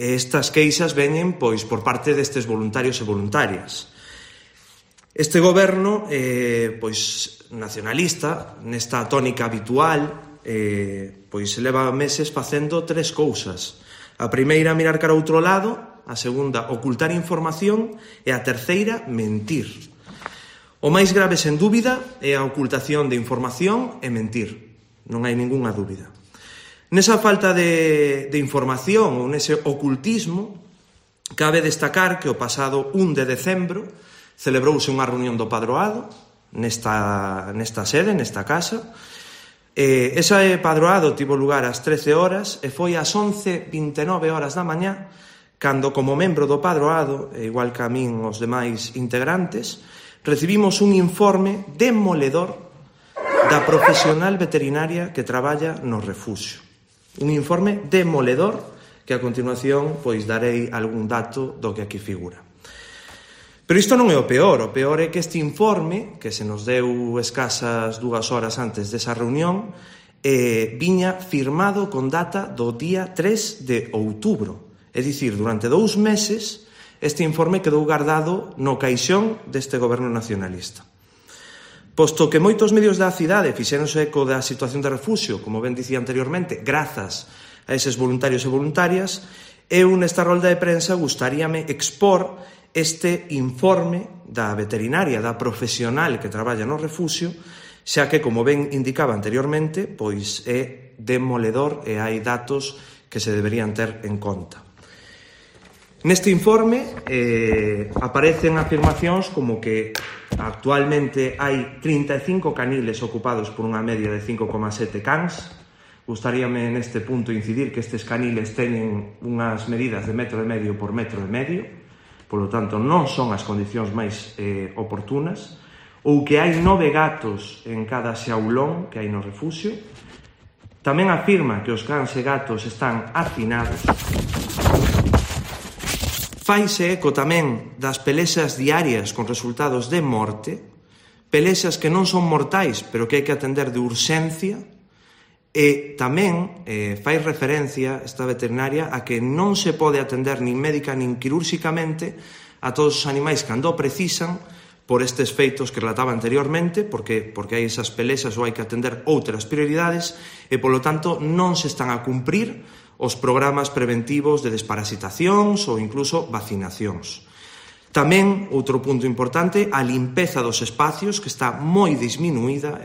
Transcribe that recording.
E estas queixas veñen pois por parte destes voluntarios e voluntarias. Este goberno pois nacionalista, nesta tónica habitual, pois leva meses facendo tres cousas. A primeira, mirar cara ao outro lado; a segunda, ocultar información; e a terceira, mentir. O máis grave, sen dúbida, é a ocultación de información e mentir. Non hai ningunha dúbida. Nesa falta de información ou nese ocultismo, cabe destacar que o pasado 1 de decembro celebrouse unha reunión do Padroado nesta sede, nesta casa. Ese Padroado tivo lugar ás 13 horas e foi ás 11:29 horas da mañá cando, como membro do Padroado, igual que a min os demais integrantes, recibimos un informe demoledor da profesional veterinaria que traballa no refuxio. Un informe demoledor que a continuación pois darei algún dato do que aquí figura. Pero isto non é o peor é que este informe, que se nos deu escasas 2 horas antes desa reunión, viña firmado con data do día 3 de outubro. É dicir, durante 2 meses, este informe quedou guardado no caixón deste goberno nacionalista. Posto que moitos medios da cidade fixéronse eco da situación de refuxio, como ben dicía anteriormente, grazas a eses voluntarios e voluntarias, eu nesta rolda de prensa gustaríame expor este informe da veterinaria, da profesional que traballa no refuxio, xa que, como ben indicaba anteriormente, pois é demoledor e hai datos que se deberían ter en conta. Neste informe aparecen afirmacións como que actualmente hai 35 caniles ocupados por unha media de 5,7 cans. Gustaríame neste punto incidir que estes caniles teñen unhas medidas de 1,5 metros por 1,5 metros, polo tanto non son as condicións máis oportunas, ou que hai 9 gatos en cada xaulón que hai no refuxio. Tamén afirma que os cans e gatos están hacinados. Faise eco tamén das pelexas diarias con resultados de morte, pelexas que non son mortais, pero que hai que atender de urxencia, e tamén fai referencia esta veterinaria a que non se pode atender nin médica nin quirúrxicamente a todos os animais cando precisan por estes feitos que relataba anteriormente, porque hai esas pelexas ou hai que atender outras prioridades e, polo tanto, non se están a cumprir os programas preventivos de desparasitacións ou incluso vacinacións. Tamén, outro punto importante, a limpeza dos espacios, que está moi disminuída.